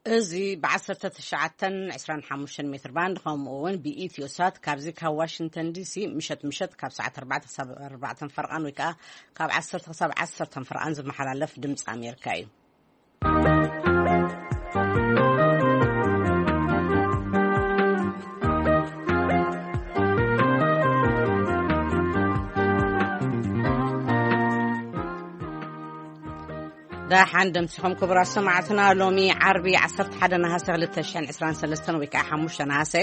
እዚ ብ1925 ሜትር ባንድ፣ ከምኡ እውን ብኢትዮ ሳት ካብዚ ካብ ዋሽንግተን ዲሲ ምሸት ምሸት ካብ ሰዓት 4 ክሳብ 4 ፈርቓን፣ ወይ ከዓ ካብ 10 ክሳብ 10 ፈርቓን ዝመሓላለፍ ድምፂ ኣሜሪካ እዩ። ደሓን ደምሲኹም ክቡራት ሰማዕትና። ሎሚ ዓርቢ 11 ነሃሰ 2023 ወይ ከዓ 5 ነሃሰ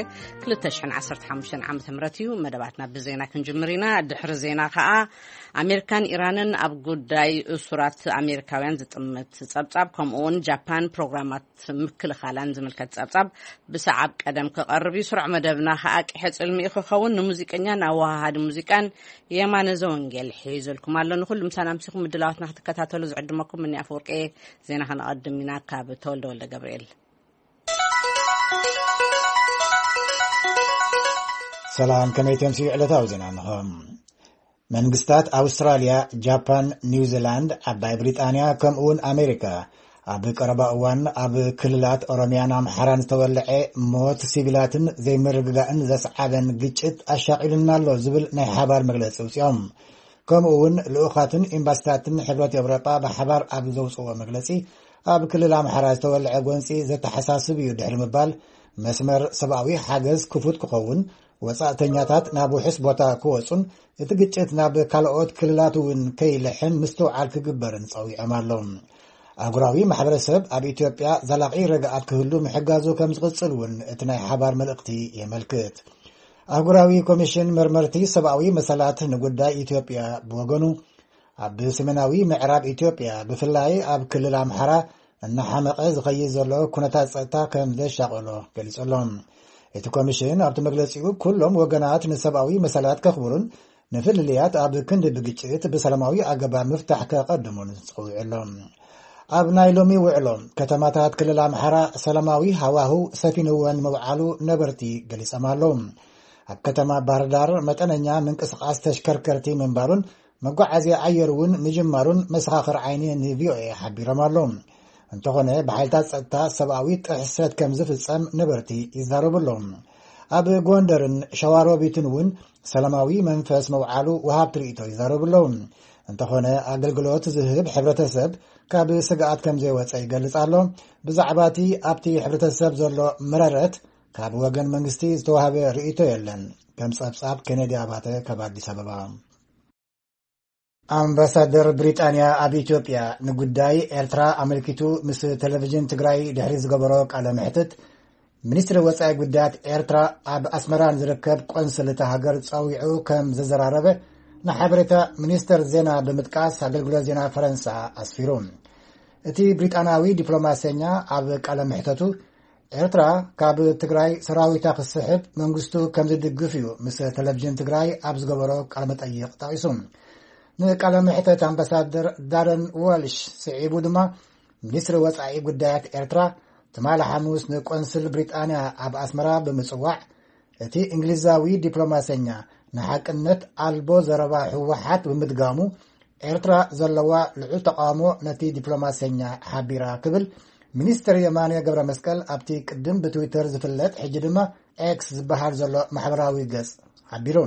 2015 ዓመተ ምህረት እዩ። መደባትና ብዜና ክንጅምር ኢና። ድሕሪ ዜና ከዓ ኣሜሪካን ኢራንን ኣብ ጉዳይ እሱራት ኣሜሪካውያን ዝጥምት ጸብጻብ፣ ከምኡ እውን ጃፓን ፕሮግራማት ምክልኻላን ዝምልከት ጸብጻብ ብሰዓብ ቀደም ክቐርብ እዩ። ስሩዕ መደብና ከዓ ቂሐ ጽልሚ እዩ ክኸውን። ንሙዚቀኛን ኣወሃሃዲ ሙዚቃን የማነ ዘወንጌል ሒዙልኩም ኣሎ። ንኹሉ ምሳና ኣምሲኹም ምድላዋትና ክትከታተሉ ዝዕድመኩም እኒ ኣፈወርቂ። ዜና ከነቐድም ኢና ካብ ተወልደ ወልደ ገብርኤል። ሰላም፣ ከመይ ተምስዩ ዕለታዊ ዜና እንሆ። መንግስታት ኣውስትራልያ፣ ጃፓን፣ ኒውዚላንድ፣ ዓባይ ብሪጣንያ፣ ከምኡውን ኣሜሪካ ኣብ ቀረባ እዋን ኣብ ክልላት ኦሮሚያን ኣምሓራን ዝተወልዐ ሞት ሲቪላትን ዘይምርግጋእን ዘስዓበን ግጭት ኣሻቒሉና ኣሎ ዝብል ናይ ሓባር መግለጺ ኣውጺኦም። ከምኡ እውን ልኡኻትን ኤምባሲታትን ሕብረት ኤውሮጳ ብሓባር ኣብ ዘውፅዎ መግለፂ፣ ኣብ ክልል ኣምሓራ ዝተወልዐ ጎንፂ ዘተሓሳስብ እዩ ድሕሪ ምባል፣ መስመር ሰብኣዊ ሓገዝ ክፉት ክኸውን፣ ወፃእተኛታት ናብ ውሑስ ቦታ ክወፁን እቲ ግጭት ናብ ካልኦት ክልላት እውን ከይልሕን ምስትውዓል ክግበርን ፀዊዖም ኣለዉ። ኣህጉራዊ ማሕበረሰብ ኣብ ኢትዮጵያ ዘላቒ ረግኣት ክህሉ ምሕጋዙ ከም ዝቕፅል እውን እቲ ናይ ሓባር መልእኽቲ የመልክት። ኣህጉራዊ ኮሚሽን መርመርቲ ሰብኣዊ መሰላት ንጉዳይ ኢትዮጵያ ብወገኑ፣ ኣብ ሰሜናዊ ምዕራብ ኢትዮጵያ፣ ብፍላይ ኣብ ክልል ኣምሓራ፣ እናሓመቐ ዝኸይድ ዘሎ ኩነታት ጸጥታ ከም ዘሻቐሎ ገሊጹ ኣሎ። እቲ ኮሚሽን ኣብቲ መግለጺኡ፣ ኩሎም ወገናት ንሰብኣዊ መሰላት ከኽብሩን ንፍልልያት ኣብ ክንዲ ብግጭት ብሰላማዊ ኣገባብ ምፍታሕ ከቐድሙን ጸዊዑ ኣሎ። ኣብ ናይ ሎሚ ውዕሎ፣ ከተማታት ክልል ኣምሓራ ሰላማዊ ሃዋህው ሰፊንወን ምውዓሉ ነበርቲ ገሊጾም ኣለዉ። ኣብ ከተማ ባህርዳር መጠነኛ ምንቅስቓስ ተሽከርከርቲ ምንባሩን መጓዓዝያ ኣየር እውን ምጅማሩን መሰኻኽር ዓይኒ ንቪኦኤ ሓቢሮም ኣለዉ። እንተኾነ፣ ብሓይልታት ጸጥታ ሰብኣዊ ጥሕሰት ከም ዝፍጸም ነበርቲ ይዛረቡ ኣለዉ። ኣብ ጎንደርን ሸዋሮቢትን እውን ሰላማዊ መንፈስ መውዓሉ ወሃብቲ ርእይቶ ይዛረቡ ኣለዉ። እንተኾነ፣ ኣገልግሎት ዝህብ ሕብረተሰብ ካብ ስግኣት ከም ዘይወጸ ይገልጽ ኣሎ። ብዛዕባ እቲ ኣብቲ ሕብረተሰብ ዘሎ መረረት ካብ ወገን መንግስቲ ዝተዋህበ ርእይቶ የለን። ከም ጸብጻብ ኬኔዲ ኣባተ ካብ ኣዲስ ኣበባ። ኣምባሳደር ብሪጣንያ ኣብ ኢትዮጵያ ንጉዳይ ኤርትራ ኣመልኪቱ ምስ ቴሌቪዥን ትግራይ ድሕሪ ዝገበሮ ቃለ መሕትት፣ ሚኒስትሪ ወጻኢ ጉዳያት ኤርትራ ኣብ ኣስመራ ንዝርከብ ቆንስል እታ ሃገር ጸዊዑ ከም ዘዘራረበ ንሓበሬታ ሚኒስተር ዜና ብምጥቃስ ኣገልግሎት ዜና ፈረንሳ ኣስፊሩ። እቲ ብሪጣንያዊ ዲፕሎማሰኛ ኣብ ቃለ መሕተቱ፣ ኤርትራ ካብ ትግራይ ሰራዊታ ክስሕብ መንግስቱ ከም ዝድግፍ እዩ ምስ ቴሌቪዥን ትግራይ ኣብ ዝገበሮ ቃለ መጠይቕ ጠቒሱ። ንቃለ መሕተት ኣምባሳደር ዳረን ዋልሽ ስዒቡ ድማ፣ ሚኒስትሪ ወጻኢ ጉዳያት ኤርትራ ትማሊ ሓሙስ ንቆንስል ብሪጣንያ ኣብ ኣስመራ ብምጽዋዕ፣ እቲ እንግሊዛዊ ዲፕሎማሰኛ ንሓቅነት ኣልቦ ዘረባ ህወሓት ብምድጋሙ፣ ኤርትራ ዘለዋ ልዑል ተቓውሞ ነቲ ዲፕሎማሰኛ ሓቢራ ክብል ሚኒስትር የማነ ገብረ መስቀል ኣብቲ ቅድም ብትዊተር ዝፍለጥ፣ ሕጂ ድማ ኤክስ ዝበሃል ዘሎ ማሕበራዊ ገጽ ሓቢሩ።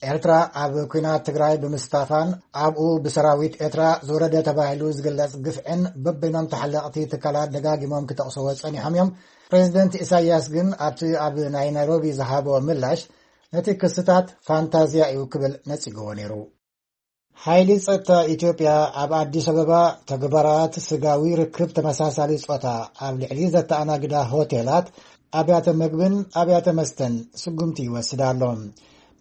ኤርትራ ኣብ ኲናት ትግራይ ብምስታፋን ኣብኡ ብሰራዊት ኤርትራ ዝወረደ ተባሂሉ ዝግለጽ ግፍዕን በበይኖም ተሓለቕቲ ትካላት ደጋጊሞም ክጠቕስዎ ጸኒሖም እዮም። ፕሬዚደንት ኢሳያስ ግን ኣብቲ ኣብ ናይ ናይሮቢ ዝሃቦ ምላሽ፣ ነቲ ክስታት ፋንታዝያ እዩ ክብል ነጺግዎ ነይሩ። ሓይሊ ጸጥታ ኢትዮጵያ ኣብ ኣዲስ ኣበባ ተግባራት ስጋዊ ርክብ ተመሳሳሊ ጾታ ኣብ ልዕሊ ዘተኣናግዳ ሆቴላት፣ ኣብያተ መግብን ኣብያተ መስተን ስጉምቲ ይወስድ ኣሎ።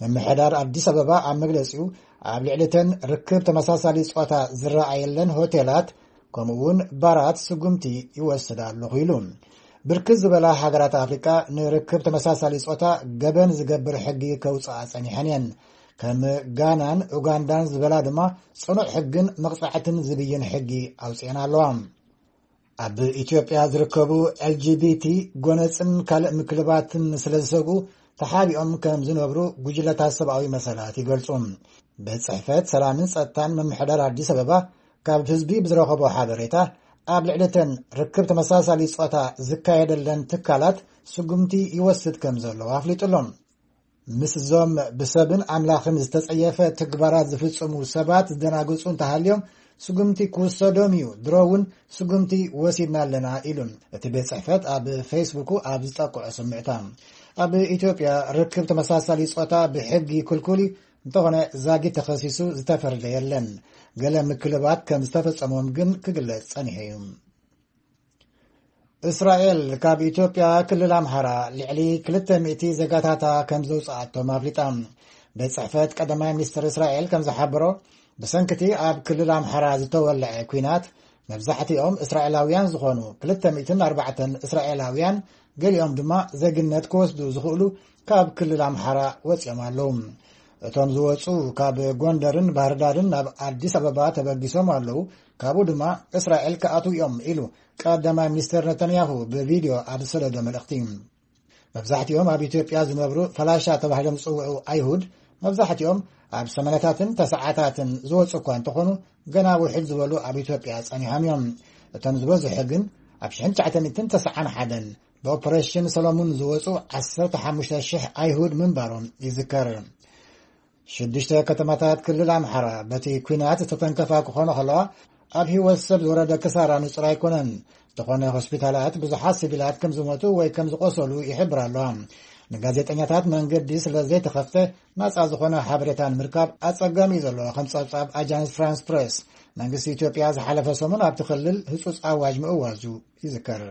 ምምሕዳር ኣዲስ ኣበባ ኣብ መግለጺኡ፣ ኣብ ልዕሊ እተን ርክብ ተመሳሳሊ ጾታ ዝረኣየለን ሆቴላት ከምኡ እውን ባራት ስጉምቲ ይወስድ ኣለኹ ኢሉ። ብርክት ዝበላ ሃገራት ኣፍሪቃ ንርክብ ተመሳሳሊ ጾታ ገበን ዝገብር ሕጊ ከውፅኣ ጸኒሐን እየን። ከም ጋናን ኡጋንዳን ዝበላ ድማ ጽኑዕ ሕግን መቕጻዕትን ዝብይን ሕጊ ኣውፅኤን ኣለዋ። ኣብ ኢትዮጵያ ዝርከቡ ኤልጂቢቲ ጎነፅን ካልእ ምክልባትን ስለ ዝሰግኡ ተሓቢኦም ከም ዝነብሩ ጉጅለታት ሰብኣዊ መሰላት ይገልጹ። ቤት ጽሕፈት ሰላምን ጸጥታን ምምሕዳር ኣዲስ ኣበባ ካብ ህዝቢ ብዝረኸቦ ሓበሬታ፣ ኣብ ልዕሊ እተን ርክብ ተመሳሳሊ ጾታ ዝካየደለን ትካላት ስጉምቲ ይወስድ ከም ዘሎ ኣፍሊጡ ኣሎ። ምስ እዞም ብሰብን ኣምላኽን ዝተጸየፈ ተግባራት ዝፍጽሙ ሰባት ዝደናግጹ እንተሃልዮም፣ ስጉምቲ ክውሰዶም እዩ፣ ድሮ እውን ስጉምቲ ወሲድና ኣለና ኢሉ እቲ ቤት ጽሕፈት ኣብ ፌስቡኩ ኣብ ዝጠቅዖ ስምዕታ። ኣብ ኢትዮጵያ ርክብ ተመሳሳሊ ጾታ ብሕጊ ክልኩል እዩ፣ እንተኾነ ዛጊት ተኸሲሱ ዝተፈረደ የለን። ገለ ምክልባት ከም ዝተፈጸሞም ግን ክግለጽ ጸኒሑ እዩ። እስራኤል ካብ ኢትዮጵያ ክልል ኣምሓራ ልዕሊ ክልተ ሚእቲ ዜጋታታ ከም ዘውፅኣቶም ኣፍሊጣ። ቤት ጽሕፈት ቀዳማይ ሚኒስትር እስራኤል ከም ዝሓበሮ፣ ብሰንክቲ ኣብ ክልል ኣምሓራ ዝተወልዐ ኲናት መብዛሕትኦም እስራኤላውያን ዝኾኑ ክልተ ሚእትን ኣርባዕተን እስራኤላውያን፣ ገሊኦም ድማ ዜግነት ክወስዱ ዝኽእሉ ካብ ክልል ኣምሓራ ወፂኦም ኣለዉ። እቶም ዝወፁ ካብ ጎንደርን ባህርዳርን ናብ ኣዲስ ኣበባ ተበጊሶም ኣለዉ። ካብኡ ድማ እስራኤል ክኣትዉ እዮም ኢሉ ቀዳማይ ሚኒስትር ነተንያሁ ብቪድዮ ኣብ ዝሰደዶ መልእኽቲ። መብዛሕትኦም ኣብ ኢትዮጵያ ዝነብሩ ፈላሻ ተባሂሎም ዝጽውዑ ኣይሁድ፣ መብዛሕትኦም ኣብ ሰማንያታትን ተስዓታትን ዝወጹ እኳ እንተኾኑ፣ ገና ውሕድ ዝበሉ ኣብ ኢትዮጵያ ጸኒሖም እዮም። እቶም ዝበዝሑ ግን ኣብ ሽሕን ትሽዓተ ሚእትን ተስዓን ሓደን ብኦፕሬሽን ሰሎሙን ዝወጹ ዓሰርተ ሓሙሽተ ሽሕ ኣይሁድ ምንባሮም ይዝከር። ሽዱሽተ ከተማታት ክልል ኣምሓራ በቲ ኲናት ዝተተንከፋ ክኾኑ ከለዋ፣ ኣብ ህይወት ሰብ ዝወረደ ክሳራ ንጹር ኣይኮነን። እንተኾነ ሆስፒታላት ብዙሓት ሲቪላት ከም ዝሞቱ ወይ ከም ዝቆሰሉ ይሕብር ኣለዋ። ንጋዜጠኛታት መንገዲ ስለ ዘይተኸፍተ ናጻ ዝኾነ ሓበሬታ ንምርካብ ኣጸጋሚ እዩ ዘሎ። ከም ጸብጻብ ኣጃንስ ፍራንስ ፕሬስ፣ መንግስቲ ኢትዮጵያ ዝሓለፈ ሰሙን ኣብቲ ክልል ህጹጽ ኣዋጅ ምእዋጁ ይዝከር።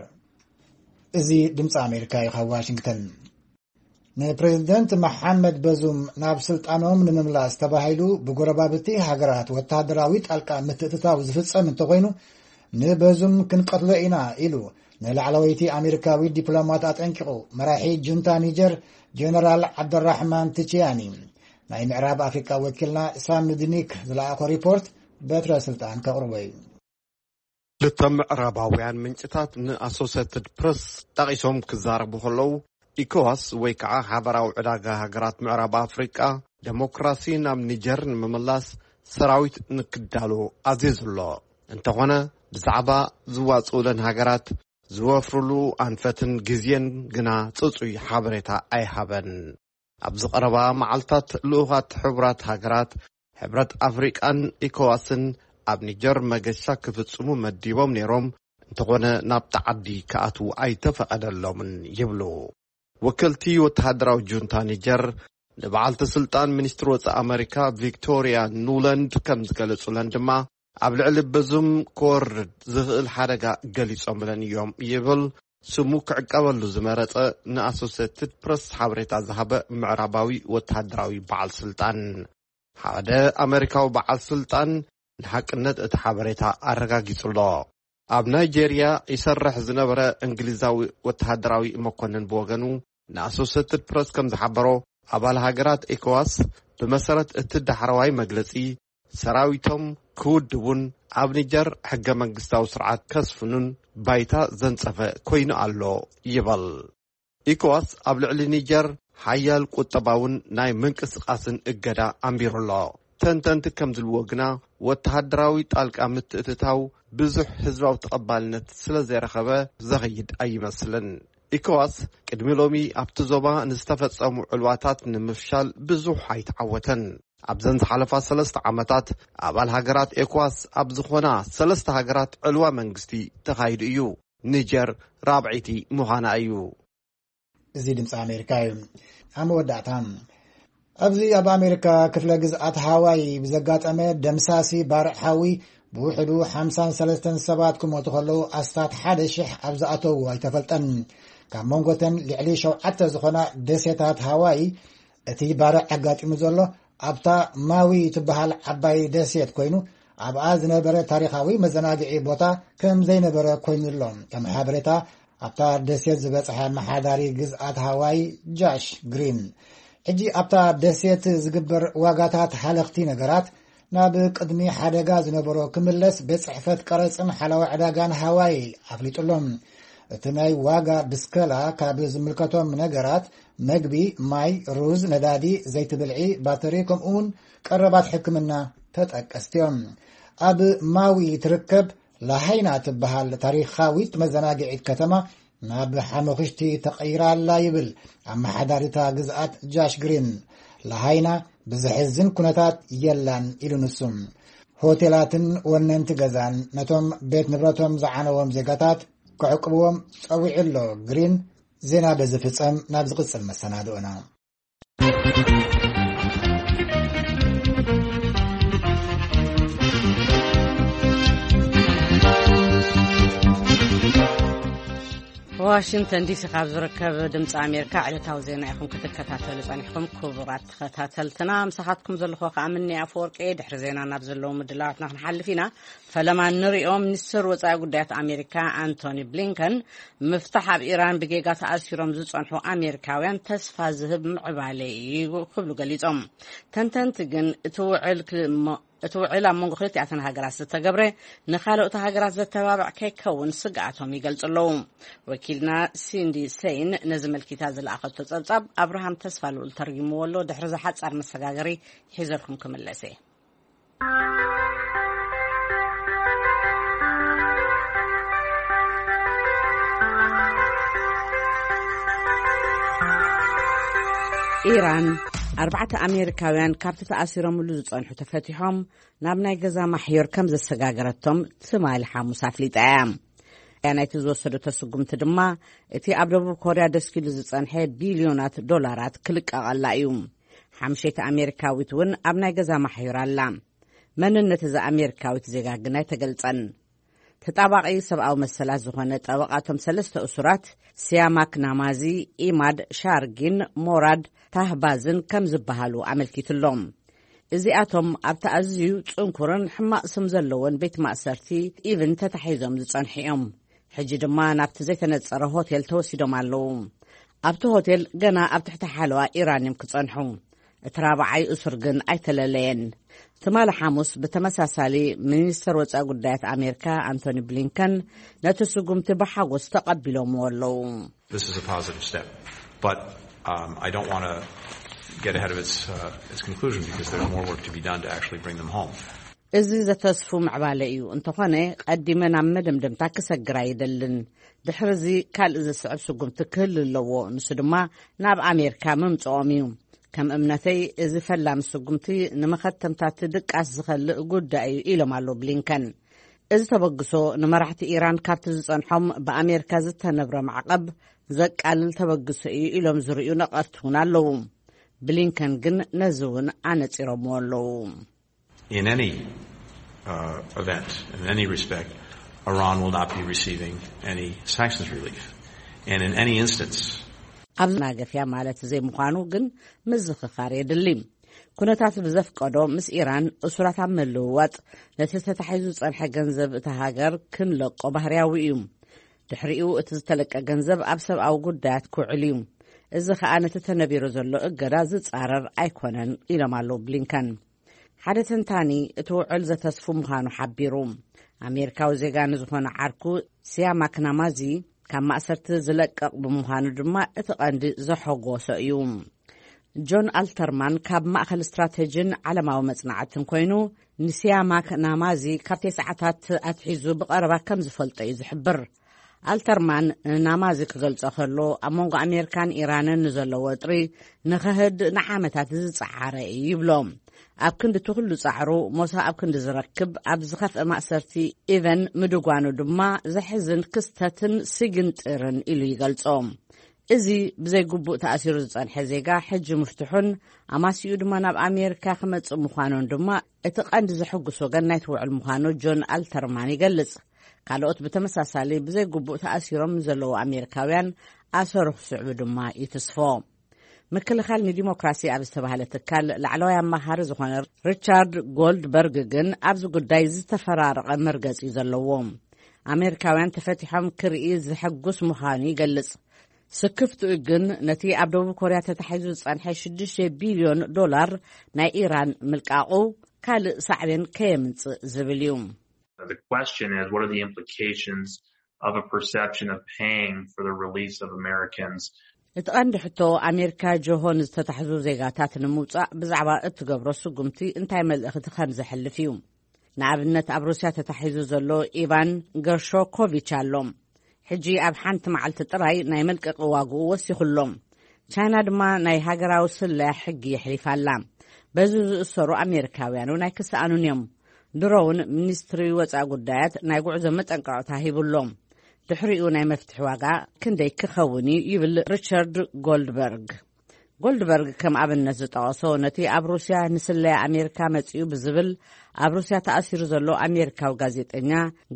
እዚ ድምፂ ኣሜሪካ እዩ ካብ ዋሽንግተን። ንፕሬዝደንት መሓመድ በዙም ናብ ስልጣኖም ንምምላስ ተባሂሉ ብጎረባብቲ ሃገራት ወታደራዊ ጣልቃ ምትእትታው ዝፍጸም እንተኾይኑ፣ ንበዙም ክንቀትሎ ኢና ኢሉ ንላዕለወይቲ ኣሜሪካዊት ዲፕሎማት ኣጠንቂቑ መራሒ ጁንታ ኒጀር ጀነራል ዓብደራሕማን ትቺያኒ። ናይ ምዕራብ ኣፍሪቃ ወኪልና ሳም ድኒክ ዝለኣኾ ሪፖርት በትረ ስልጣን ከቕርቦ እዩ። ክልተ ምዕራባውያን ምንጭታት ንኣሶሴትድ ፕረስ ጠቒሶም ክዛረቡ ከለዉ፣ ኢኮዋስ ወይ ከዓ ሓበራዊ ዕዳጋ ሃገራት ምዕራብ ኣፍሪቃ ደሞክራሲ ናብ ኒጀር ንምምላስ ሰራዊት ንክዳሎ ኣዚዙ ኣሎ። እንተኾነ ብዛዕባ ዝዋፅኡለን ሃገራት ዝወፍርሉ ኣንፈትን ግዜን ግና ጽጹይ ሓበሬታ ኣይሃበን። ኣብዚ ቀረባ መዓልታት ልኡኻት ሕቡራት ሃገራት ሕብረት ኣፍሪቃን ኢኮዋስን ኣብ ኒጀር መገሻ ክፍጽሙ መዲቦም ነይሮም፣ እንተኾነ ናብቲ ዓዲ ክኣትዉ ኣይተፈቐደሎምን ይብሉ። ወከልቲ ወተሃደራዊ ጁንታ ኒጀር ንበዓልቲ ስልጣን ሚኒስትሪ ወጻኢ ኣመሪካ ቪክቶሪያ ኑላንድ ከም ዝገለጹለን ድማ፣ ኣብ ልዕሊ በዙም ክወርድ ዝኽእል ሓደጋ ገሊጾምለን እዮም ይብል ስሙ ክዕቀበሉ ዝመረጸ ንኣሶሴትድ ፕረስ ሓበሬታ ዝሃበ ምዕራባዊ ወተሃደራዊ በዓል ስልጣን። ሓደ ኣመሪካዊ በዓል ስልጣን ንሓቅነት እቲ ሓበሬታ ኣረጋጊጹ ኣሎ። ኣብ ናይጄርያ ይሰርሕ ዝነበረ እንግሊዛዊ ወተሃደራዊ መኮንን ብወገኑ፣ ንኣሶሴትድ ፕረስ ከም ዝሓበሮ፣ ኣባል ሃገራት ኤኮዋስ ብመሰረት እቲ ዳሕረዋይ መግለጺ፣ ሰራዊቶም ክውድቡን ኣብ ኒጀር ሕገ መንግስታዊ ስርዓት ከስፍኑን ባይታ ዘንጸፈ ኮይኑ ኣሎ ይበል። ኢኮዋስ ኣብ ልዕሊ ኒጀር ሓያል ቁጠባውን ናይ ምንቅስቓስን እገዳ ኣንቢሩ ኣሎ። ተንተንቲ ከም ዝብልዎ ግና፣ ወተሃደራዊ ጣልቃ ምትእትታው ብዙሕ ህዝባዊ ተቐባልነት ስለ ዘይረኸበ ዘኸይድ ኣይመስልን። ኢኮዋስ ቅድሚ ሎሚ ኣብቲ ዞባ ንዝተፈጸሙ ዕልዋታት ንምፍሻል ብዙሕ ኣይተዓወተን። ኣብዘን ዝሓለፋ ሰለስተ ዓመታት ኣባል ሃገራት ኤኮዋስ ኣብ ዝኾና ሰለስተ ሃገራት ዕልዋ መንግስቲ ተኻይዱ እዩ። ኒጀር ራብዐይቲ ምዃና እዩ። እዚ ድምፂ ኣሜሪካ እዩ። ኣብ መወዳእታ፣ ኣብዚ ኣብ ኣሜሪካ ክፍለ ግዝኣት ሃዋይ ብዘጋጠመ ደምሳሲ ባርዕ ሓዊ ብውሕዱ ሓምሳን ሰለስተን ሰባት ክሞቱ ከለዉ፣ ኣስታት ሓደ ሽሕ ኣብ ዝኣተዉ ኣይተፈልጠን። ካብ መንጎተን ልዕሊ ሸውዓተ ዝኾና ደሴታት ሃዋይ እቲ ባርዕ ኣጋጢሙ ዘሎ ኣብታ ማዊ ትበሃል ዓባይ ደሴት ኮይኑ፣ ኣብኣ ዝነበረ ታሪኻዊ መዘናግዒ ቦታ ከም ዘይነበረ ኮይኑ ኣሎ። ከም ሓበሬታ ኣብታ ደሴት ዝበጽሐ ኣመሓዳሪ ግዝኣት ሃዋይ ጃሽ ግሪን፣ ሕጂ ኣብታ ደሴት ዝግበር ዋጋታት ሃለኽቲ ነገራት ናብ ቅድሚ ሓደጋ ዝነበሮ ክምለስ ቤት ጽሕፈት ቀረጽን ሓላዊ ዕዳጋን ሃዋይ ኣፍሊጡ ኣሎ። እቲ ናይ ዋጋ ብስከላ ካብ ዝምልከቶም ነገራት መግቢ፣ ማይ፣ ሩዝ፣ ነዳዲ፣ ዘይቲ ብልዒ፣ ባተሪ፣ ከምኡ እውን ቀረባት ሕክምና ተጠቀስቲ እዮም። ኣብ ማዊ ትርከብ ላሃይና ትበሃል ታሪኻዊት መዘናግዒት ከተማ ናብ ሓመኽሽቲ ተቐይራ ኣላ ይብል ኣመሓዳሪታ ግዝኣት ጃሽ ግሪን። ላሃይና ብዘሕዝን ኩነታት የላን ኢሉ ንሱ። ሆቴላትን ወነንቲ ገዛን ነቶም ቤት ንብረቶም ዝዓነዎም ዜጋታት ክዕቅብዎም ጸዊዑ ኣሎ። ግሪን ዜና በዚ ፍጸም ናብ ዝቕጽል መሰናድኦና። ዋሽንግተን ዲሲ ካብ ዝርከብ ድምፂ ኣሜሪካ ዕለታዊ ዜና ኢኹም ክትከታተሉ ጸኒሕኩም። ክቡራት ተኸታተልትና፣ ምሳኻትኩም ዘለኹ ከኣ ምኒ ኣፈወርቂ። ድሕሪ ዜና ናብ ዘለዉ ምድላዋትና ክንሓልፍ ኢና። ፈለማ ንሪኦ፣ ሚኒስትር ወጻኢ ጉዳያት ኣሜሪካ ኣንቶኒ ብሊንከን፣ ምፍታሕ ኣብ ኢራን ብጌጋ ተኣሲሮም ዝጸንሑ ኣሜሪካውያን ተስፋ ዝህብ ምዕባለ እዩ ክብሉ ገሊጾም። ተንተንቲ ግን እቲ ውዕል ክ-፣ ሞ-፣ እቲ ውዕል ኣብ መንጎ ክልቲኣተን ሃገራት ዝተገብረ ንኻልኦት ሃገራት ዘተባብዕ ከይከውን ስግኣቶም ይገልጹ ኣለዉ። ወኪልና ሲንዲ ሰይን ነዚ መልኪታ ዝለኣኸቶ ጸብጻብ ኣብርሃም ተስፋ ልኡል ተርጊምዎ ኣሎ። ድሕሪ ዝሓጻር መሰጋገሪ ሒዘልኩም ክምለስ እየ። ኢራን ኣርባዕተ ኣሜሪካውያን ካብቲ ተኣሲሮምሉ ዝጸንሑ ተፈቲሖም ናብ ናይ ገዛ ማሕዮር ከም ዘሰጋገረቶም ትማሊ ሓሙስ ኣፍሊጣ እያ። እያ ናይቲ ዝወሰደቶ ስጉምቲ ድማ እቲ ኣብ ደቡብ ኮርያ ደስኪሉ ዝጸንሐ ቢልዮናት ዶላራት ክልቀቐላ እዩ። ሓምሸይቲ ኣሜሪካዊት እውን ኣብ ናይ ገዛ ማሕዮር ኣላ። መንነት እዛ ኣሜሪካዊት ዜጋ ግን ኣይተገልጸን። ተጣባቒ ሰብኣዊ መሰላት ዝኾነ ጠበቓቶም ሰለስተ እሱራት፣ ሲያማክ ናማዚ፣ ኢማድ ሻርጊን ሞራድ ታህባዝን ከም ዝበሃሉ ኣመልኪቱሎም። እዚኣቶም ኣብቲ ኣዝዩ ጽንኩርን ሕማቕ ስም ዘለዎን ቤት ማእሰርቲ ኢቭን ተታሒዞም ዝጸንሑ እዮም። ሕጂ ድማ ናብቲ ዘይተነጸረ ሆቴል ተወሲዶም ኣለዉ። ኣብቲ ሆቴል ገና ኣብ ትሕቲ ሓለዋ ኢራን እዮም ክጸንሑ። እቲ ራብዓይ እሱር ግን ኣይተለለየን። ትማሊ ሓሙስ ብተመሳሳሊ ሚኒስተር ወጻኢ ጉዳያት ኣሜሪካ ኣንቶኒ ብሊንከን ነቲ ስጉምቲ ብሓጎስ ተቐቢሎምዎ ኣለዉ። This is a positive step, but um, I don't want to get ahead of its, uh, its conclusion because there's more work to be done to actually bring them home. እዚ ዘተስፉ ምዕባለ እዩ። እንተኾነ ቀዲመ ናብ መደምደምታ ክሰግር ኣይደልን። ድሕሪ እዚ ካልእ ዝስዕብ ስጉምቲ ክህሉ ኣለዎ። ንሱ ድማ ናብ ኣሜሪካ ምምጽኦም እዩ። ከም እምነተይ እዚ ፈላሚ ስጉምቲ ንመኸተምታ እቲ ድቃስ ዝኸልእ ጉዳይ እዩ ኢሎም ኣለዉ ብሊንከን። እዚ ተበግሶ ንመራሕቲ ኢራን ካብቲ ዝጸንሖም ብኣሜሪካ ዝተነብረ ማዕቐብ ዘቃልል ተበግሶ እዩ ኢሎም ዝርእዩ ነቐፍቲ እውን ኣለዉ። ብሊንከን ግን ነዚ እውን ኣነጺሮምዎ ኣለዉ። In any uh, event, in any respect, Iran will not be receiving any sanctions relief. And in any instance, ኣብ ናገፍያ ማለት ዘይምዃኑ ግን ምዝኽኻር የድሊ። ኩነታት ብዘፍቀዶ ምስ ኢራን እሱራት ኣብ ምልውዋጥ ነቲ ተታሒዙ ዝጸንሐ ገንዘብ እታ ሃገር ክንለቆ ባህርያዊ እዩ። ድሕሪኡ እቲ ዝተለቀ ገንዘብ ኣብ ሰብኣዊ ጉዳያት ክውዕል እዩ። እዚ ኸኣ ነቲ ተነቢሩ ዘሎ እገዳ ዝጻረር ኣይኮነን ኢሎም ኣለዉ ብሊንከን። ሓደ ተንታኒ እቲ ውዕል ዘተስፉ ምዃኑ ሓቢሩ። ኣሜሪካዊ ዜጋ ንዝኾነ ዓርኩ ሲያማክ ናማዚ ካብ ማእሰርቲ ዝለቀቕ ብምዃኑ ድማ እቲ ቀንዲ ዘሐጎሶ እዩ። ጆን ኣልተርማን ካብ ማእኸል ስትራተጂን ዓለማዊ መጽናዕትን ኮይኑ፣ ንሲያማክ ናማዚ ካብ ተስዓታት ኣትሒዙ ብቐረባ ከም ዝፈልጦ እዩ ዝሕብር። ኣልተርማን ንናማዚ ክገልጾ ከሎ፣ ኣብ መንጎ ኣሜሪካን ኢራንን ንዘሎ ወጥሪ ንኸህድ ንዓመታት ዝጸዓረ እዩ ይብሎ። ኣብ ክንዲ እቲ ኩሉ ጻዕሩ፣ ሞሳ ኣብ ክንዲ ዝረክብ ኣብ ዝኸፍአ ማእሰርቲ ኢቨን ምድጓኑ ድማ ዘሕዝን ክስተትን ስግንጢርን ኢሉ ይገልጾ። እዚ ብዘይግቡእ ተኣሲሩ ዝጸንሐ ዜጋ ሕጂ ምፍትሑን ኣማሲኡ ድማ ናብ ኣሜሪካ ክመጽእ ምዃኑን ድማ እቲ ቀንዲ ዘሐጉስ ወገን ናይቲ ውዕል ምዃኑ ጆን ኣልተርማን ይገልጽ። ካልኦት ብተመሳሳሊ ብዘይግቡእ ተኣሲሮም ንዘለዉ ኣሜሪካውያን ኣሰሩ ክስዕቡ ድማ ይትስፎ። ምክልኻል ንዲሞክራሲ ኣብ ዝተባህለ ትካል ላዕለዋይ ኣማኻሪ ዝኾነ ሪቻርድ ጎልድበርግ ግን ኣብዚ ጉዳይ ዝተፈራረቐ መርገጺ እዩ ዘለዎ። ኣሜሪካውያን ተፈቲሖም ክርኢ ዘሐጉስ ምዃኑ ይገልጽ። ስክፍትኡ ግን ነቲ ኣብ ደቡብ ኮርያ ተታሒዙ ዝጸንሐ ሽዱሽተ ቢልዮን ዶላር ናይ ኢራን ምልቃቑ ካልእ ሳዕቤን ከየምጽእ ዝብል እዩ። The question is, what are the implications of a perception of paying for the release of Americans? እቲ ቀንዲ ሕቶ፣ ኣሜሪካ ጆሆ ንዝተታሕዙ ዜጋታት ንምውጻእ ብዛዕባ እትገብሮ ስጉምቲ እንታይ መልእኽቲ ከም ዘሕልፍ እዩ። ንኣብነት፣ ኣብ ሩስያ ተታሒዙ ዘሎ ኢቫን ገርሾኮቪች ኣሎ። ሕጂ ኣብ ሓንቲ መዓልቲ ጥራይ ናይ መልቀቂ ዋግኡ ወሲኹ ኣሎ። ቻይና ድማ ናይ ሃገራዊ ስለያ ሕጊ የሕሊፋ ኣላ። በዚ ዝእሰሩ ኣሜሪካውያን እውን ኣይክሰኣኑን እዮም። ድሮ እውን ሚኒስትሪ ወጻኢ ጉዳያት ናይ ጉዕዞ መጠንቀቕታ ሂቡ ኣሎ። ድሕሪኡ ናይ መፍትሒ ዋጋ ክንደይ ክኸውን እዩ ይብል ሪቻርድ ጎልድበርግ። ጎልድበርግ ከም ኣብነት ዝጠቐሶ፣ ነቲ ኣብ ሩስያ ንስለያ ኣሜሪካ መጺኡ ብዝብል ኣብ ሩስያ ተኣሲሩ ዘሎ ኣሜሪካዊ ጋዜጠኛ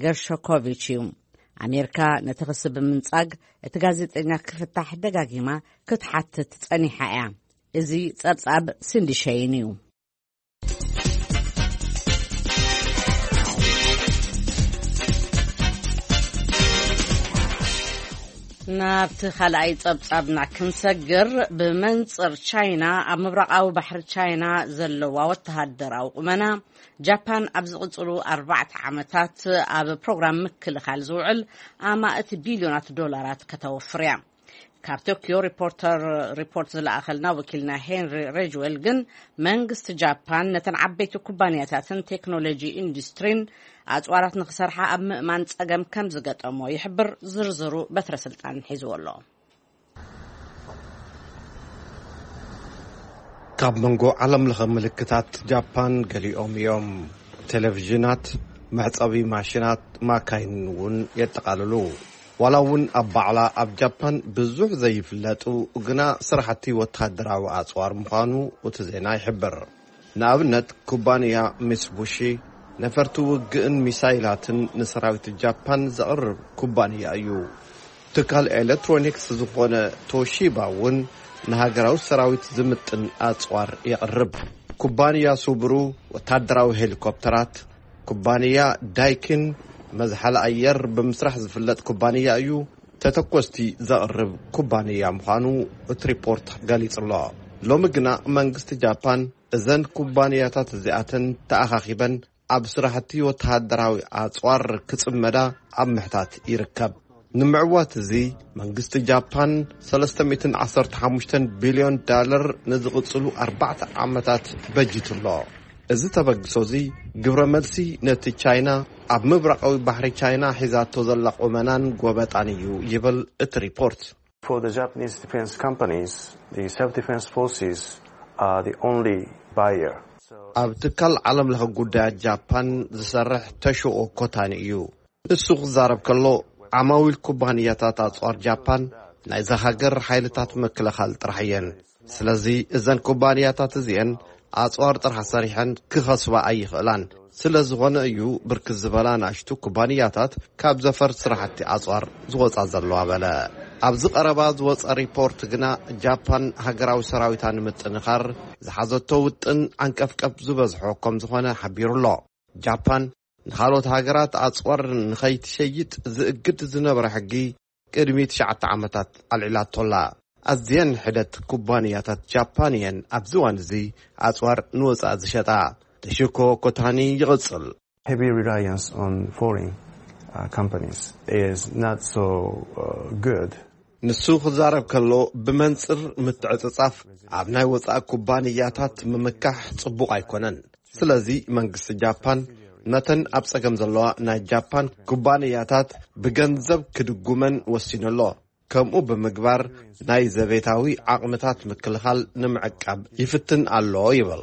ገርሾኮቪች እዩ። ኣሜሪካ ነቲ ክሲ ብምንጻግ፣ እቲ ጋዜጠኛ ክፍታሕ ደጋጊማ ክትሓትት ጸኒሓ እያ። እዚ ጸብጻብ ሲንዲ ሸይን እዩ። ናብቲ ካልኣይ ጸብጻብና ክንሰግር፣ ብመንጽር ቻይና ኣብ ምብራቓዊ ባሕሪ ቻይና ዘለዋ ወተሃደራዊ ቁመና፣ ጃፓን ኣብ ዝቕጽሉ ኣርባዕተ ዓመታት ኣብ ፕሮግራም ምክልኻል ዝውዕል ኣማእት ቢልዮናት ዶላራት ከተወፍር እያ። ካብ ቶኪዮ ሪፖርተር ሪፖርት ዝለኣኸልና ወኪልና ሄንሪ ሬጅዌል ግን፣ መንግስቲ ጃፓን ነተን ዓበይቲ ኩባንያታትን ቴክኖሎጂ ኢንዱስትሪን ኣጽዋራት ንኽሰርሓ ኣብ ምእማን ጸገም ከም ዝገጠሞ ይሕብር። ዝርዝሩ በትረ ስልጣን ሒዝዎ ኣሎ። ካብ መንጎ ዓለም ለኸ ምልክታት ጃፓን ገሊኦም እዮም። ቴሌቪዥናት፣ መሕጸቢ ማሽናት፣ ማካይን እውን የጠቓልሉ። ዋላ እውን ኣብ ባዕላ ኣብ ጃፓን ብዙሕ ዘይፍለጡ ግና ስራሕቲ ወተሃደራዊ ኣጽዋር ምዃኑ እቲ ዜና ይሕብር። ንኣብነት፣ ኩባንያ ሚትሱቡሺ ነፈርቲ ውግእን ሚሳይላትን ንሰራዊት ጃፓን ዘቕርብ ኩባንያ እዩ። ትካል ኤሌክትሮኒክስ ዝኾነ ቶሺባ እውን ንሃገራዊ ሰራዊት ዝምጥን ኣጽዋር የቕርብ። ኩባንያ ሱብሩ ወታደራዊ ሄሊኮፕተራት፣ ኩባንያ ዳይኪን መዝሓሊ ኣየር ብምስራሕ ዝፍለጥ ኩባንያ እዩ። ተተኮስቲ ዘቕርብ ኩባንያ ምዃኑ እቲ ሪፖርት ገሊጹ ኣሎ። ሎሚ ግና መንግስቲ ጃፓን እዘን ኩባንያታት እዚኣተን ተኣኻኺበን ኣብ ስራሕቲ ወተሃደራዊ ኣጽዋር ክጽመዳ ኣብ ምሕታት ይርከብ። ንምዕዋት እዚ መንግስቲ ጃፓን ሰለስተ ሚእትን ዓሰርተ ሓሙሽተን ቢልዮን ዳለር ንዝቕጽሉ ኣርባዕተ ዓመታት በጂቱ ኣሎ። እዚ ተበግሶ እዚ ግብረ መልሲ ነቲ ቻይና ኣብ ምብራቓዊ ባሕሪ ቻይና ሒዛቶ ዘላ ቁመናን ጎበጣን እዩ ይብል እቲ ሪፖርት። For the Japanese defense companies, the self-defense forces are the only buyer. ኣብ ትካል ዓለም ለኸ ጉዳያት ጃፓን ዝሰርሕ ተሽኦ ኮታኒ እዩ። ንሱ ክዛረብ ከሎ፣ ዓማዊል ኩባንያታት ኣጽዋር ጃፓን ናይዛ ሃገር ሓይልታት ምክልኻል ጥራሕ እየን። ስለዚ እዘን ኩባንያታት እዚአን ኣጽዋር ጥራሕ ሰሪሐን ክኸስባ ኣይኽእላን። ስለ ዝኾነ እዩ ብርክት ዝበላ ናሽቱ ኩባንያታት ካብ ዘፈር ስራሕቲ ኣጽዋር ዝወጻ ዘለዋ በለ። ኣብዚ ቀረባ ዝወጸ ሪፖርት ግና ጃፓን ሃገራዊ ሰራዊታ ንምጥንኻር ዝሓዘቶ ውጥን ዓንቀፍቀፍ ዝበዝሖ ከም ዝኾነ ሓቢሩ ኣሎ። ጃፓን ንኻልኦት ሃገራት ኣጽዋር ንኸይትሸይጥ ዝእግድ ዝነበረ ሕጊ ቅድሚ ትሽዓተ ዓመታት ኣልዒላቶ ኣላ። ኣዝየን ሕደት ኩባንያታት ጃፓን እየን ኣብዚ እዋን እዚ ኣጽዋር ንወጻኢ ዝሸጣ። ተሽኮ ኮታኒ ይቕጽል። Heavy reliance on foreign uh, companies is not so uh, good. ንሱ ክዛረብ ከሎ፣ ብመንጽር ምትዕጽጻፍ ኣብ ናይ ወጻኢ ኩባንያታት ምምካሕ ጽቡቕ ኣይኮነን። ስለዚ መንግስቲ ጃፓን ነተን ኣብ ጸገም ዘለዋ ናይ ጃፓን ኩባንያታት ብገንዘብ ክድጉመን ወሲኑ ኣሎ። ከምኡ ብምግባር ናይ ዘቤታዊ ዓቕምታት ምክልኻል ንምዕቃብ ይፍትን ኣሎ ይብል።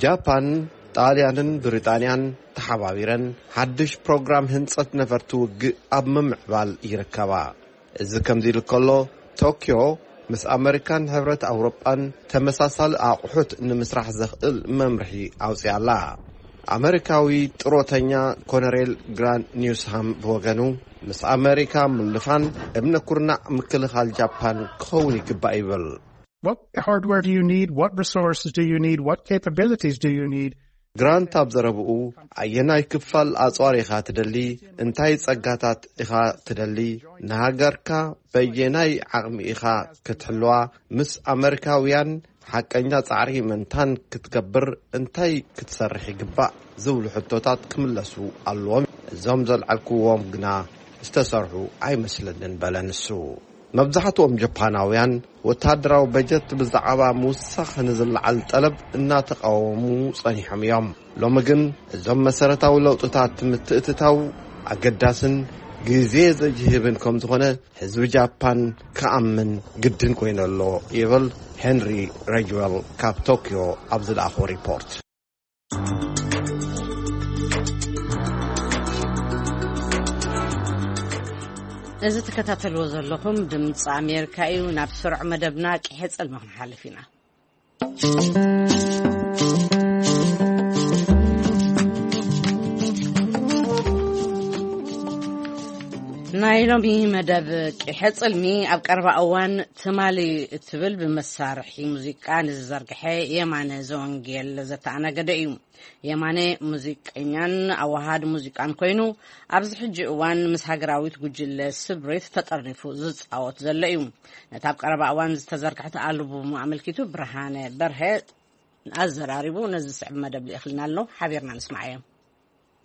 ጃፓን፣ ጣልያንን ብሪጣንያን ተሓባቢረን ሓድሽ ፕሮግራም ህንጸት ነፈርቲ ውግእ ኣብ ምምዕባል ይርከባ። እዚ ከምዚ ኢሉ ከሎ፣ ቶኪዮ ምስ ኣመሪካን ሕብረት ኣውሮጳን ተመሳሳሊ ኣቑሑት ንምስራሕ ዘኽእል መምርሒ ኣውጺኣ ኣላ። ኣመሪካዊ ጥሮተኛ ኮነሬል ግራንት ኒውስሃም ብወገኑ፣ ምስ ኣመሪካ ምልፋን እምነ ኩርናዕ ምክልኻል ጃፓን ክኸውን ይግባእ ይብል። What hardware do you need? What resources do you need? What capabilities do you need? ግራንት ኣብ ዘረብኡ፣ ኣየናይ ክፋል ኣጽዋር ኢኻ ትደሊ? እንታይ ጸጋታት ኢኻ ትደሊ? ንሃገርካ በየናይ ዓቕሚ ኢኻ ክትሕልዋ? ምስ ኣመሪካውያን ሓቀኛ ጻዕሪ ምእንታን ክትገብር እንታይ ክትሰርሕ ይግባእ? ዝብሉ ሕቶታት ክምለሱ ኣለዎም። እዞም ዘልዓልክዎም ግና ዝተሰርሑ ኣይመስለንን በለ ንሱ። መብዛሕትኦም ጃፓናውያን ወታደራዊ በጀት ብዛዕባ ምውሳኽ ንዝለዓል ጠለብ እናተቃወሙ ጸኒሖም እዮም። ሎሚ ግን እዞም መሰረታዊ ለውጥታት ምትእትታው ኣገዳስን ግዜ ዘጅህብን ከም ዝኾነ ህዝቢ ጃፓን ክኣምን ግድን ኮይኑ ኣሎ ይብል ሄንሪ ረጅዌል ካብ ቶኪዮ ኣብ ዝለኣኾ ሪፖርት። እዚ ትከታተልዎ ዘለኹም ድምፂ ኣሜሪካ እዩ። ናብ ስሩዕ መደብና ቂሐ ጽልሚ ክንሓልፍ ኢና። ናይ ሎሚ መደብ ቂሐ ጽልሚ ኣብ ቀረባ እዋን ትማሊ እትብል ብመሳርሒ ሙዚቃ ንዝዘርግሐ የማነ ዘወንጌል ዘተኣናገደ እዩ። የማነ ሙዚቀኛን ኣዋሃድ ሙዚቃን ኮይኑ፣ ኣብዚ ሕጂ እዋን ምስ ሃገራዊት ጉጅለ ስብሪት ተጠርኒፉ ዝጻወት ዘሎ እዩ። ነታ ኣብ ቀረባ እዋን ዝተዘርግሐት ኣልቡሙ ኣመልኪቱ ብርሃነ በርሀ ኣዘራሪቡ ነዚ ዝስዕብ መደብ ልኢኽልና ኣሎ። ሓቢርና ንስማዓዮ።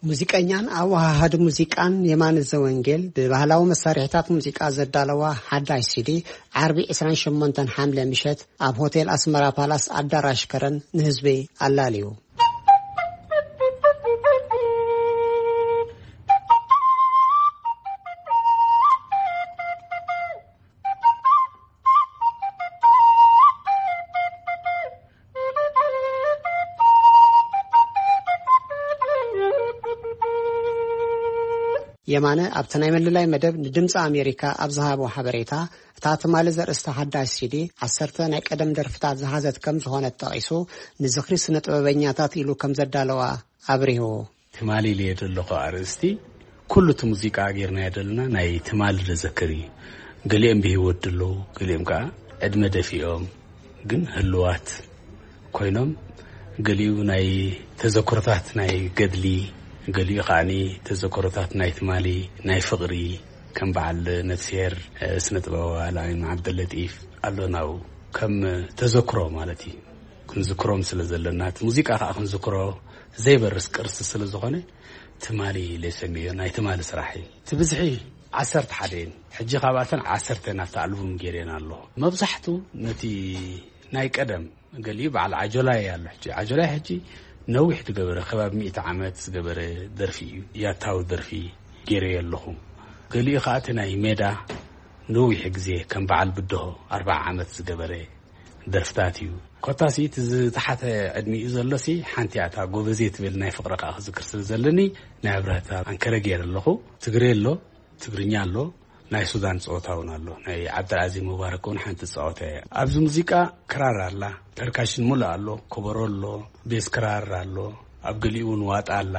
ሙዚቀኛን ኣወሃሃዲ ሙዚቃን የማነ ዘወንጌል ብባህላዊ መሳርሒታት ሙዚቃ ዘዳለዋ ሓዳሽ ሲዲ ዓርቢ ዕስራን ሸሞንተን ሓምለ ምሸት ኣብ ሆቴል ኣስመራ ፓላስ ኣዳራሽ ከረን ንህዝቢ ኣላልዩ። የማነ ኣብቲ ናይ ምልላይ መደብ ንድምፂ ኣሜሪካ ኣብ ዝሃቦ ሓበሬታ፣ እታ ትማሊ ዘርእስታ ሓዳሽ ሲዲ ዓሰርተ ናይ ቀደም ደርፍታት ዝሓዘት ከም ዝኾነት ጠቒሱ፣ ንዝኽሪ ስነ ጥበበኛታት ኢሉ ከም ዘዳለዋ ኣብሪሁ። ትማሊ ኢለ ዘለኹ ኣርእስቲ፣ ኩሉ እቲ ሙዚቃ ጌርናዮ ዘለና ናይ ትማሊ ዘዘክር እዩ። ገሊኦም ብህይወት ድለዉ፣ ገሊኦም ከዓ ዕድመ ደፊኦም ግን ህልዋት ኮይኖም፣ ገሊኡ ናይ ተዘክሮታት ናይ ገድሊ፣ ገሊኡ ከዓኒ ተዘክሮታት ናይ ትማሊ ናይ ፍቕሪ፣ ከም በዓል ነፍስሄር፣ እ፣ ስነ ጥበባዊ ኣልኣሚን ዓብደለጢፍ ኣሎ ናው ከም ተዘክሮ ማለት እዩ። ክንዝክሮም ስለ ዘለና፣ እቲ ሙዚቃ ከዓ ክንዝክሮ ዘይበርስ ቅርሲ ስለ ዝኾነ፣ ትማሊ ኢለ ሰምዮ ናይ ትማሊ ስራሕ እዩ። እቲ ብዝሒ ዓሰርተ ሓደ እየን። ሕጂ ካብኣተን ዓሰርተ ናብቲ ኣልቡም ገይረን ኣለኹ። መብዛሕቱ ነቲ ናይ ቀደም፣ ገሊኡ በዓል ዓጆላይ ኣሎ። ሕጂ ዓጆላይ ሕጂ ነዊሕ ዝገበረ፣ ከባቢ ሚእቲ ዓመት ዝገበረ ደርፊ እዩ። ያታዊ ደርፊ ገይረዮ ኣለኹ። ገሊኡ ከዓ እቲ ናይ ሜዳ ነዊሕ ግዜ ከም በዓል ብድሆ ኣርብዓ ዓመት ዝገበረ ደርፍታት እዩ። ኮታሲ እቲ ዝተሓተ ዕድሚኡ ዘሎሲ ሓንቲ እያ፣ እታ ጎበዜ ትብል ናይ ፍቕሪ ከዓ ክዝክር ስለ ዘለኒ ናይ ኣብርሃታ ኣንከረ ገይረ ኣለኹ። ትግሬ ኣሎ፣ ትግርኛ ኣሎ፣ ናይ ሱዳን ጸወታ እውን ኣሎ። ናይ ዓብደልዓዚዝ ሙባረክ እውን ሓንቲ ጸወታ እያ። ኣብዚ ሙዚቃ ክራር ኣላ፣ ፐርካሽን ሙሉእ ኣሎ፣ ኮበሮ ኣሎ፣ ቤዝ ክራር ኣሎ፣ ኣብ ገሊኡ እውን ዋጣ ኣላ።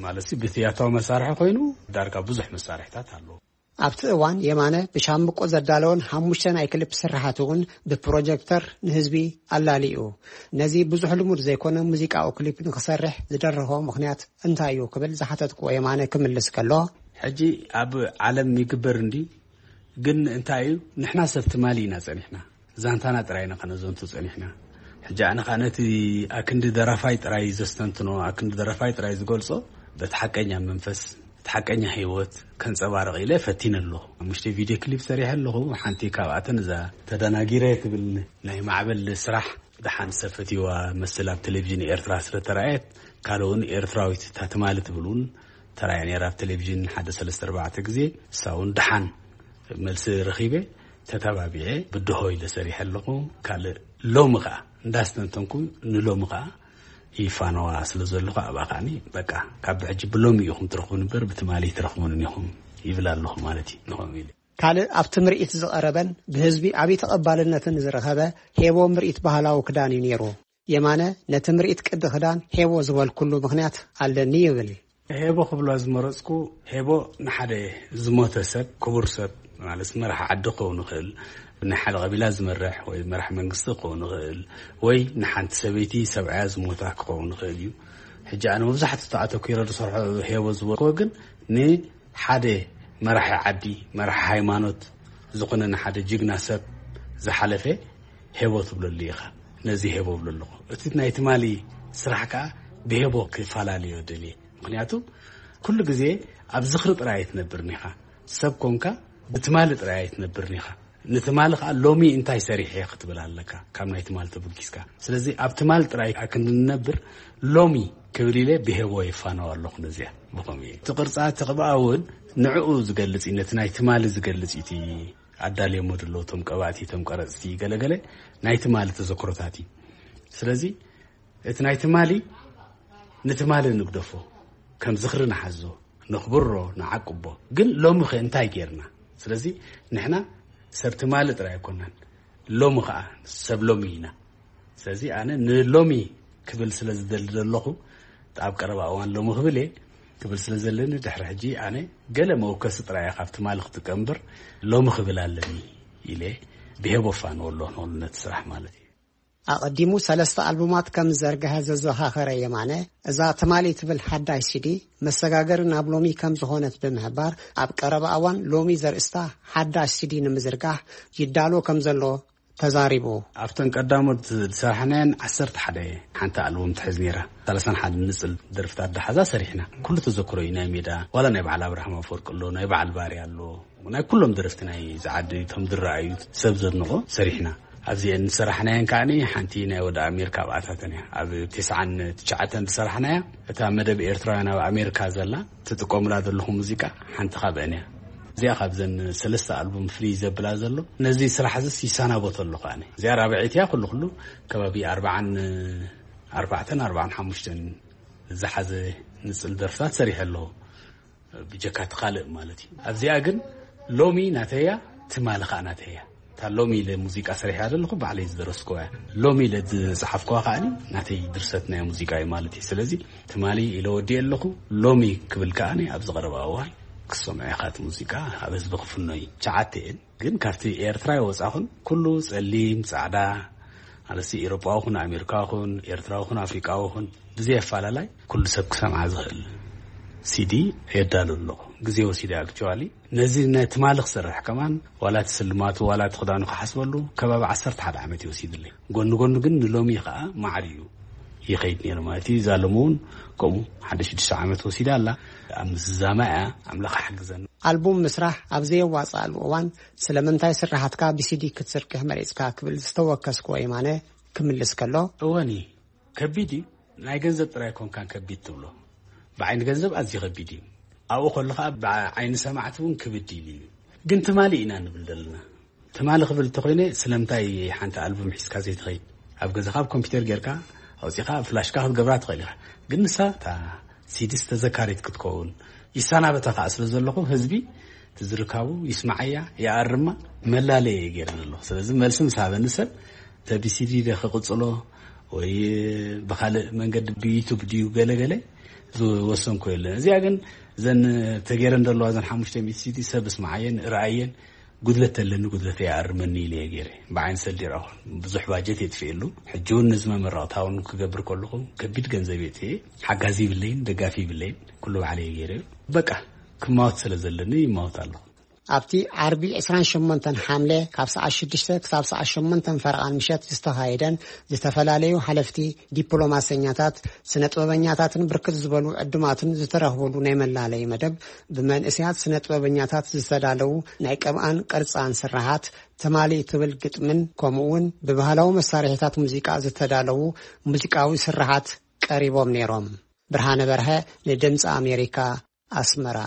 ማለት ሲ ብቲ ያታዊ መሳርሒ ኮይኑ ዳርጋ ብዙሕ መሳርሒታት ኣለዎ። ኣብቲ እዋን የማነ ብሻምብቆ ዘዳለወን ሓሙሽተ ናይ ክሊፕ ስርሓት እውን ብፕሮጀክተር ንህዝቢ ኣላሊኡ። ነዚ ብዙሕ ልሙድ ዘይኮነ ሙዚቃዊ ክሊፕ ንክሰርሕ ዝደረኾ ምኽንያት እንታይ እዩ ክብል ዝሓተትክዎ የማነ ክምልስ ከሎ፣ ሕጂ ኣብ ዓለም ይግበር እንዲ፣ ግን እንታይ እዩ፣ ንሕና ሰብ ትማሊ ኢና ጸኒሕና፣ ዛንታና ጥራይ ኢና ከነዘንቱ ጸኒሕና። ሕጂ ኣነ ኸኣ ነቲ ኣክንዲ ደራፋይ ጥራይ ዘስተንትኖ፣ ኣክንዲ ደራፋይ ጥራይ ዝገልጾ፣ በቲ ሓቀኛ መንፈስ፣ እቲ ሓቀኛ ህይወት ከንጸባርቕ ኢለ ፈቲነ ኣለኹ። ሓሙሽተ ቪድዮ ክሊፕ ሰሪሐ ኣለኹ። ሓንቲ ካብኣተን እዛ ተደናጊረ ትብል ናይ ማዕበል ስራሕ፣ ደሓን ሰብ ፈትይዋ መስል ኣብ ቴሌቪዥን ኤርትራ ስለ ተራእየት፣ ካልእ እውን ኤርትራዊት እታ ትማሊ ትብል እውን ተራእያ ነይራ ኣብ ቴሌቪዥን ሓደ ሰለስተ ኣርባዕተ ግዜ። እሳ እውን ደሓን መልሲ ረኺበ፣ ተተባቢዐ ብድሆ ኢለ ሰሪሐ ኣለኹ። ካልእ ሎሚ ኸኣ እንዳስተንተንኩ ንሎሚ ኸኣ ይፋነዋ ስለ ዘለኹ ኣብኣ ከኣኒ በቃ ካብ ሕጂ ብሎሚ ኢኹም ትረኽቡን እምበር ብትማሊ ኣይትረኽቡንን ኢኹም ይብል ኣለኹ ማለት እዩ። ንኸምኡ ኢለ። ካልእ ኣብቲ ምርኢት ዝቐረበን ብህዝቢ ዓብዪ ተቐባልነትን ዝረኸበ ሄቦ ምርኢት ባህላዊ ክዳን እዩ ነይሩ። የማነ ነቲ ምርኢት ቅዲ ክዳን ሄቦ ዝበልኩሉ ምኽንያት ኣለኒ ይብል። ሄቦ ክብሎ ዝመረጽኩ፣ ሄቦ ንሓደ ዝሞተ ሰብ፣ ክቡር ሰብ፣ ማለት መራሕ ዓዲ ክኸውን ይኽእል፣ ናይ ሓደ ቀቢላ ዝመርሕ ወይ መራሕ መንግስቲ ክኸውን ይኽእል፣ ወይ ንሓንቲ ሰበይቲ ሰብኣያ ዝሞታ ክኸውን ይኽእል እዩ። ሕጂ ኣነ መብዛሕትኡ ኣተኲረ ዝሰርሖ ሄቦ ዝበልኩዎ ግን ንሓደ መራሒ ዓዲ፣ መራሒ ሃይማኖት ዝኾነ ንሓደ ጅግና ሰብ ዝሓለፈ ሄቦ ትብለሉ ኢኻ። ነዚ ሄቦ እብሎ ኣለኹ። እቲ ናይ ትማሊ ስራሕ ከኣ ብሄቦ ክፈላለዮ ደልየ። ምኽንያቱ ኩሉ ግዜ ኣብ ዝኽሪ ጥራይ ኣይትነብርን ኢኻ። ሰብ ኮንካ ብትማሊ ጥራይ ኣይትነብርን ኢኻ። ንትማሊ ከዓ ሎሚ እንታይ ሰሪሐ ክትብል ኣለካ፣ ካብ ናይ ትማሊ ተበጊስካ። ስለዚ ኣብ ትማሊ ጥራይ ክንነብር፣ ሎሚ ክብል ኢለ ብሄቦ የፋነው ኣለኹ። ነዚኣ ብኸምኡ እየ። እቲ ቅርፃ እቲ ቅብኣ እውን ንዕኡ ዝገልፅ እዩ፣ ነቲ ናይ ትማሊ ዝገልፅ እዩ። እቲ ኣዳልዮሞ ዘለዉ እቶም ቀባእቲ፣ እቶም ቀረፅቲ፣ ገለገለ ናይ ትማሊ ተዘክሮታት እዩ። ስለዚ እቲ ናይ ትማሊ ንትማሊ ንግደፎ፣ ከም ዝኽሪ ንሓዞ፣ ነኽብሮ፣ ንዓቅቦ። ግን ሎሚ ኸ እንታይ ጌርና? ስለዚ ንሕና ሰብ ትማሊ ጥራይ ኣይኮናን፣ ሎሚ ኸዓ ሰብ ሎሚ ኢና። ስለዚ ኣነ ንሎሚ ክብል ስለ ዝደሊ ዘለኹ፣ ኣብ ቀረባ እዋን ሎሚ ክብል እየ ክብል ስለ ዘለኒ፣ ድሕሪ ሕጂ ኣነ ገለ መወከሲ ጥራይ እየ ካብ ትማሊ ክጥቀም እምበር፣ ሎሚ ክብል ኣለኒ ኢለ ብሄቦ ፋነው ኣለኹ፣ ነቲ ስራሕ ማለት እዩ። ኣቐዲሙ ሰለስተ ኣልቡማት ከም ዝዘርግሐ ዘዘኻኸረ የማነ፣ እዛ ትማሊ ትብል ሓዳሽ ሲዲ መሰጋገሪ ናብ ሎሚ ከም ዝኾነት ብምሕባር፣ ኣብ ቀረባ እዋን ሎሚ ዘርእስታ ሓዳሽ ሲዲ ንምዝርጋሕ ይዳሎ ከም ዘሎ ተዛሪቡ። ኣብተን ቀዳሞት ዝሰራሕናየን ዓሰርተ ሓደ ሓንቲ ኣልቡም ትሕዝ ነይራ። ሰላሳን ሓደ ንጽል ደርፍታት ዝሓዛ ሰሪሕና። ኩሉ ተዘክሮ እዩ፣ ናይ ሜዳ፣ ዋላ ናይ በዓል ኣብርሃም ኣፈወርቂ ኣሎ፣ ናይ በዓል ባርያ ኣሎ። ናይ ኩሎም ደረፍቲ ናይ ዝዓዲ እቶም ዝረኣዩ ሰብ ዘድንቖ ሰሪሕና። ኣብዚአን ዝሰራሕናየን ከዓኒ ሓንቲ ናይ ወደ ኣሜሪካ ኣብኣታተን እያ። ኣብ ተስዓን ትሽዓተን ዝሰራሕናያ፣ እታ መደብ ኤርትራውያን ኣብ ኣሜሪካ ዘላ ትጥቀሙላ ዘለኹም ሙዚቃ ሓንቲ ካብአን እያ። እዚኣ ካብዘን ሰለስተ ኣልቡም ፍልይ ዘብላ ዘሎ፣ ነዚ ስራሕ እዚስ ይሰናበቶ ኣለኹ ኣነ። እዚኣ ራብዐይቲ እያ። ኩሉ ኩሉ ከባቢ ኣርባዓን ኣርባዕተን ኣርባዓን ሓሙሽተን ዝሓዘ ንጽል ደርፍታት ሰሪሐ ኣለኹ። ብጀካ እቲ ካልእ ማለት እዩ። ኣብዚኣ ግን ሎሚ ናተያ፣ ትማሊ ኸኣ ናተያ። እታ ሎሚ ኢለ ሙዚቃ ሰሪሐ ዘለኹ ባዕለይ ዝደረስኩዋ እያ። ሎሚ ኢለ ዝጸሓፍኩዋ ከኣ ናተይ ድርሰት ናይ ሙዚቃ እዩ ማለት እዩ። ስለዚ ትማሊ ኢለ ወዲኤ ኣለኹ፣ ሎሚ ክብል ከኣ ኣብዚ ቀረባ እዋን ክሰምዖ ኢኻ። እቲ ሙዚቃ ኣብ ህዝቢ ክፍኖ እዩ። ትሽዓተ እየን። ግን ካብቲ ኤርትራ ይወጻኹን፣ ኩሉ ጸሊም፣ ጻዕዳ፣ ማለት ኤውሮጳዊ ኹን፣ ኣሜሪካዊ ኹን፣ ኤርትራዊ ኹን፣ ኣፍሪቃዊ ኹን፣ ብዘይ ኣፈላላይ ኩሉ ሰብ ክሰምዓ ዝኽእል ሲዲ የዳሉ ኣለኹ። ግዜ ወሲደ ኣክቹዋሊ። ነዚ ናይ ትማሊ ክሰርሕ ከማን፣ ዋላ እቲ ስልማቱ፣ ዋላ እቲ ክዳኑ ክሓስበሉ፣ ከባቢ ዓሰርተ ሓደ ዓመት ይወሲድለይ። ጎኒ ጎኒ ግን ንሎሚ ኸኣ ማዕሪኡ ይኸይድ ነይሩ ማለት እዩ። እዛ ሎሚ እውን ከምኡ ሓደ ሽዱሽተ ዓመት ወሲዳ ኣላ። ኣብ ምዝዛማ እያ፣ ኣምላኽ ሓግዘና። ኣልቡም ምስራሕ ኣብ ዘየዋጽኣሉ እዋን፣ ስለምንታይ ስራሓትካ ብሲዲ ክትዝርግሕ መሪጽካ ክብል ዝተወከስክዎ የማነ ክምልስ ከሎ፣ እወኒ፣ ከቢድ እዩ። ናይ ገንዘብ ጥራይ ኮንካን ከቢድ ትብሎ። ብዓይኒ ገንዘብ ኣዝዩ ከቢድ እዩ። ኣብኡ ከሎ ኸኣ ብዓይኒ ሰማዕቲ እውን ክብድ ኢሉ እዩ። ግን ትማሊ ኢና ንብል ዘለና። ትማሊ ክብል እንተኾይነ፣ ስለምንታይ ሓንቲ ኣልቡም ሒዝካ ዘይትኸይድ? ኣብ ገዛኻ ኣብ ኮምፒውተር ጌርካ ኣውጺኻ ኣብ ፍላሽካ ክትገብራ ትኽእል ኢኻ። ግን ንሳ እታ ሲዲስ ተዘካሪት ክትከውን፣ ይሰናበታ ከኣ ስለ ዘለኹ፣ ህዝቢ ትዝርካቡ ይስማዓያ፣ ይኣርማ፣ መላለየ እየ ገይረ ዘለኹ። ስለዚ መልሲ ምስ ሃበኒ ሰብ፣ ተቢሲዲ ደ ክቕጽሎ ወይ ብኻልእ መንገዲ ብዩቱብ ድዩ ገለገለ ዝወሰንኩ የለን። እዚኣ ግን ዘን ተገይረን ዘለዋ ዘን ሓሙሽተ ሚእቲ ሲዲ ሰብ እስማዓየን፣ ርኣየን፣ ጉድለት ተለኒ ጉድለተይ ይኣርመኒ ኢለ እየ ገይረ። ብዓይኒ ሰልዲ ይረኣኹ። ብዙሕ ባጀት የጥፍኤሉ። ሕጂ እውን ነዚ መመረቕታ እውን ክገብር ከለኹ ከቢድ ገንዘብ የጥፍኤ። ሓጋዚ ይብለይን ደጋፊ ይብለይን። ኩሉ ባዕለይ እየ ገይረ። በቃ ክማወት ስለ ዘለኒ ይማወት ኣለኹ። ኣብቲ ዓርቢ ዕስራን ሸሞንተን ሓምለ ካብ ሰዓት ሽዱሽተ ክሳብ ሰዓት ሸሞንተ ፈረቓን ምሸት ዝተኻየደን ዝተፈላለዩ ሓለፍቲ፣ ዲፕሎማሰኛታት፣ ስነ ጥበበኛታትን ብርክት ዝበሉ ዕዱማትን ዝተረኽቡሉ ናይ መላለዪ መደብ፣ ብመንእሰያት ስነ ጥበበኛታት ዝተዳለዉ ናይ ቅብኣን ቅርጻን ስርሓት፣ ትማሊ ትብል ግጥምን ከምኡ እውን ብባህላዊ መሳርሒታት ሙዚቃ ዝተዳለዉ ሙዚቃዊ ስርሓት ቀሪቦም ነይሮም። ብርሃነ በርሀ ንድምፂ ኣሜሪካ፣ ኣስመራ።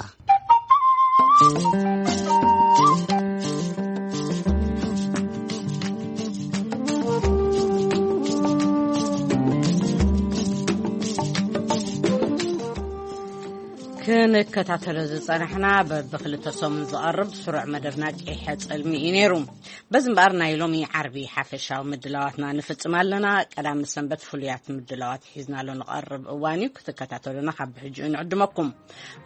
ክንከታተሎ ዝጸናሕና በብክልተ ሰሙን ዝቐርብ ስሩዕ መደብና ቂሐ ጸልሚ እዩ ነይሩ። በዚ እምበኣር ናይ ሎሚ ዓርቢ ሓፈሻዊ ምድላዋትና ንፍጽም ኣለና። ቀዳም ሰንበት ፍሉያት ምድላዋት ሒዝናሉ ንቐርብ እዋን እዩ። ክትከታተሉና ካብ ብሕጂኡ ንዕድመኩም።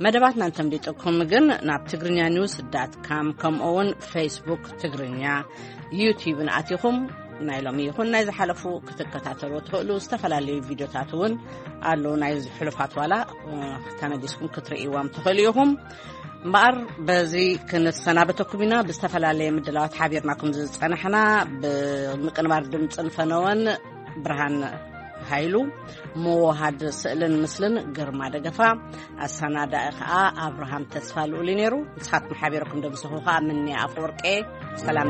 መደባትና እንተምሊጥኩም ግን ናብ ትግርኛ ኒውስ ዳት ካም ከምኡ እውን ፌስቡክ ትግርኛ ዩቲዩብን ኣቲኹም ናይ ሎሚ ይኹን ናይ ዝሓለፉ ክትከታተሉ ትኽእሉ። ዝተፈላለዩ ቪድዮታት እውን ኣለዉ። ናይ ሕሉፋት ዋላ፣ እ፣ ተመሊስኩም ክትርእይዎም ትኽእሉ ኢኹም። እምበኣር በዚ ክንሰናበተኩም ኢና። ብዝተፈላለየ ምድላዋት ሓቢርናኩም ዝጸናሕና ብምቅንባር ድምፅን ፈነወን ብርሃን ሃይሉ፣ ምውሃድ ስእልን ምስልን ግርማ ደገፋ፣ ኣሰናዳኢ ኸኣ ኣብርሃም ተስፋ ልኡል እዩ ነይሩ። ንስኻትኩም ሓቢረኩም ደምስኹ ኸኣ ምንያ ኣፈወርቄ። ሰላም